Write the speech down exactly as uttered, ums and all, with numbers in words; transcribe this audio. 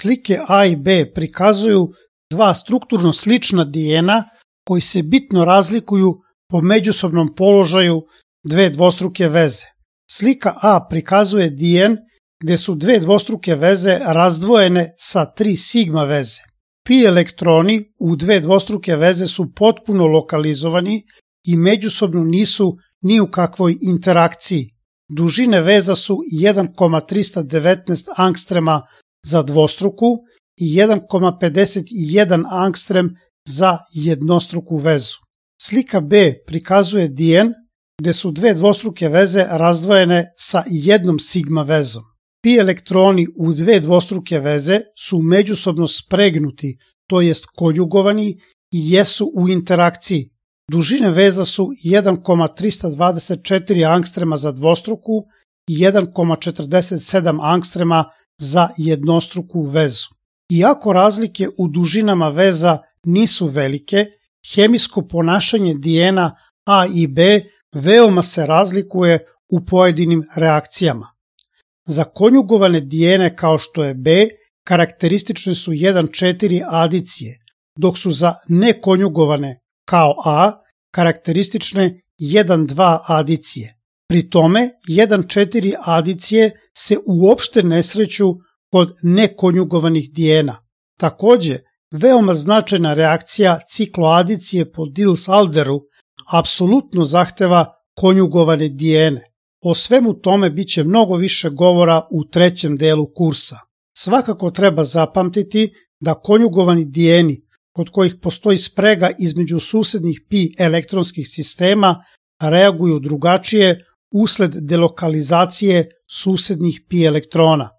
Slike A i B prikazuju dva strukturno slična dijena koji se bitno razlikuju po međusobnom položaju dve dvostruke veze. Slika A prikazuje dijen gde su dve dvostruke veze razdvojene sa tri sigma veze. Pi elektroni u dve dvostruke veze su potpuno lokalizovani i međusobno nisu ni u kakvoj interakciji. Dužine veza su jedan zarez trista devetnaest angstrema za dvostruku i jedan zarez pedeset jedan angstrem za jednostruku vezu. Slika B prikazuje dijen gde su dve dvostruke veze razdvojene sa jednom sigma vezom. Pi elektroni u dve dvostruke veze su međusobno spregnuti, to jest konjugovani i jesu u interakciji. Dužine veza su jedan zarez trista dvadeset četiri angstrema za dvostruku i jedan zarez četrdeset sedam angstrema za jednostruku vezu. Iako razlike u dužinama veza nisu velike, hemijsko ponašanje dijena A i B veoma se razlikuje u pojedinim reakcijama. Za konjugovane dijene kao što je B karakteristične su jedan četiri adicije, dok su za nekonjugovane kao A karakteristične jedan dva adicije. Pri tome jedan četiri adicije se uopšte ne sreću kod nekonjugovanih dijena. Takođe, veoma značajna reakcija cikloadicije po Diels-Alderu apsolutno zahteva konjugovane dijene. O svemu tome biće mnogo više govora u trećem delu kursa. Svakako treba zapamtiti da konjugovani dijeni, kod kojih postoji sprega između susednih pi elektronskih sistema, reaguju drugačije usled delokalizacije susednih pi elektrona.